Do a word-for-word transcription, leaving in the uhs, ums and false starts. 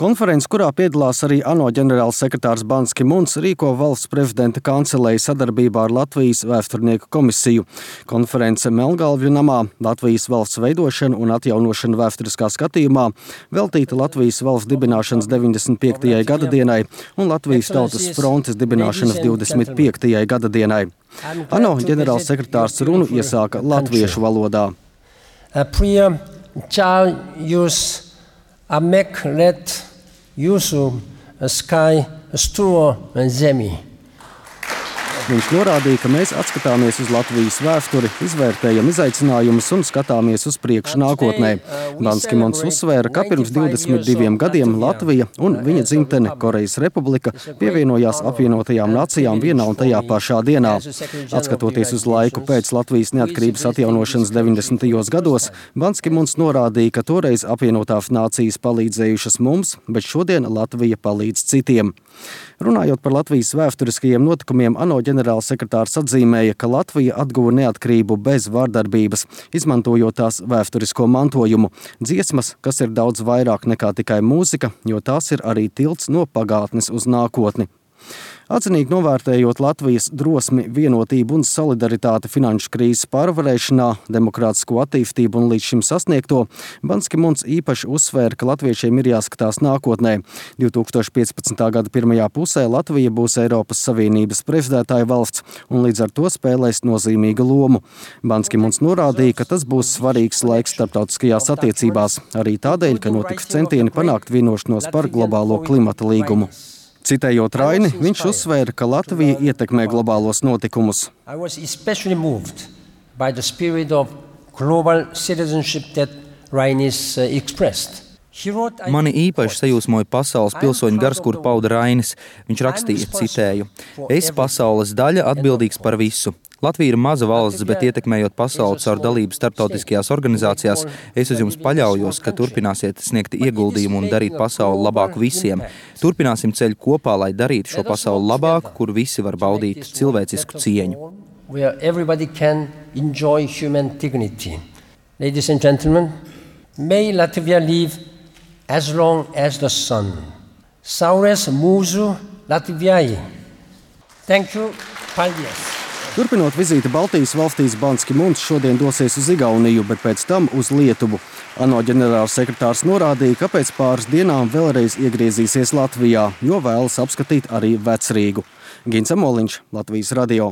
Konferences, kurā piedalās arī ANO ģenerāls sekretārs Bans Ki Muns, rīko valsts prezidenta kanceleja sadarbībā ar Latvijas vēsturnieku komisiju. Konference Melngalvju namā Latvijas valsts veidošana un atjaunošana vēsturiskā skatījumā veltīta Latvijas valsts dibināšanas deviņdesmit piektajai gadadienai un Latvijas tautas frontes dibināšanas divdesmit piektajai gadadienai. ANO ģenerāls sekretārs runu iesāka latviešu valodā. Amek let jūsu skai stuo zemi. Viņš norādīja, ka mēs atskatāmies uz Latvijas vēsturi, izvērtējam izaicinājumus un skatāmies uz priekšu nākotnē. Bans Ki Muns uzsvēra, ka pirms divdesmit diviem gadiem Latvija un viņa dzimtene Korejas Republika pievienojās apvienotajām nācijām vienā un tajā pašā dienā. Atskatoties uz laiku pēc Latvijas neatkarības atjaunošanas deviņdesmitajos gados, Bans Ki Muns norādīja, ka toreiz apvienotās nācijas palīdzējušas mums, bet šodien Latvija palīdz citiem. Runājot par Latvijas vēsturiskajiem notikumiem, ANO ģenerāls sekretārs atzīmēja, ka Latvija atguva neatkarību bez vardarbības, izmantojot tās vēsturisko mantojumu, dziesmas, kas ir daudz vairāk nekā tikai mūzika, jo tās ir arī tilts no pagātnes uz nākotni. Atzinīgi novērtējot Latvijas drosmi, vienotību un solidaritāti finanšu krīzes pārvarēšanā, demokrātisko attīstību un līdz šim sasniegto, Bans Ki Muns īpaši uzsvēra, ka latviešiem ir jāskatās nākotnē. divi tūkstoši piecpadsmitā gada pirmajā pusē Latvija būs Eiropas Savienības prezidētāja valsts un līdz ar to spēlēs nozīmīgu lomu. Bans Ki Muns norādīja, ka tas būs svarīgs laiks starptautiskajās attiecībās, arī tādēļ, ka notiks centieni panākt vienošanos par globālo klimata līgumu. Citējot Raini, viņš uzsvēra, ka Latvija ietekmē globālos notikumus. I was especially moved by the spirit of global citizenship that Rainis uh, expressed. Mani īpaši sajūsmoja pasaules pilsoņu gars, kur pauda Rainis. Viņš rakstīja, citēju: "Es, pasaules daļa, atbildīgs par visu. Latvija ir maza valsts, bet ietekmējot pasauli caur dalību starptautiskajās organizācijās, es uz jums paļaujos, ka turpināsiet sniegt ieguldījumu un darīt pasauli labāku visiem. Turpināsim ceļu kopā, lai darītu šo pasauli labāku, kur visi var baudīt cilvēcisku cieņu." Where everybody can enjoy human dignity. Ladies and gentlemen, may Latvia live as long as the sun. Saures mūsu Latvijai. Thank you. Paldies. Turpinot vizīti Baltijas valstīs, Bans Ki Muns šodien dosies uz Igauniju, bet pēc tam uz Lietuvu. ANO ģenerāls sekretārs norādīja, ka pēc pāris dienām vēlreiz iegriezīsies Latvijā, jo vēlas apskatīt arī Vecrīgu. Gins Amoliņš, Latvijas radio.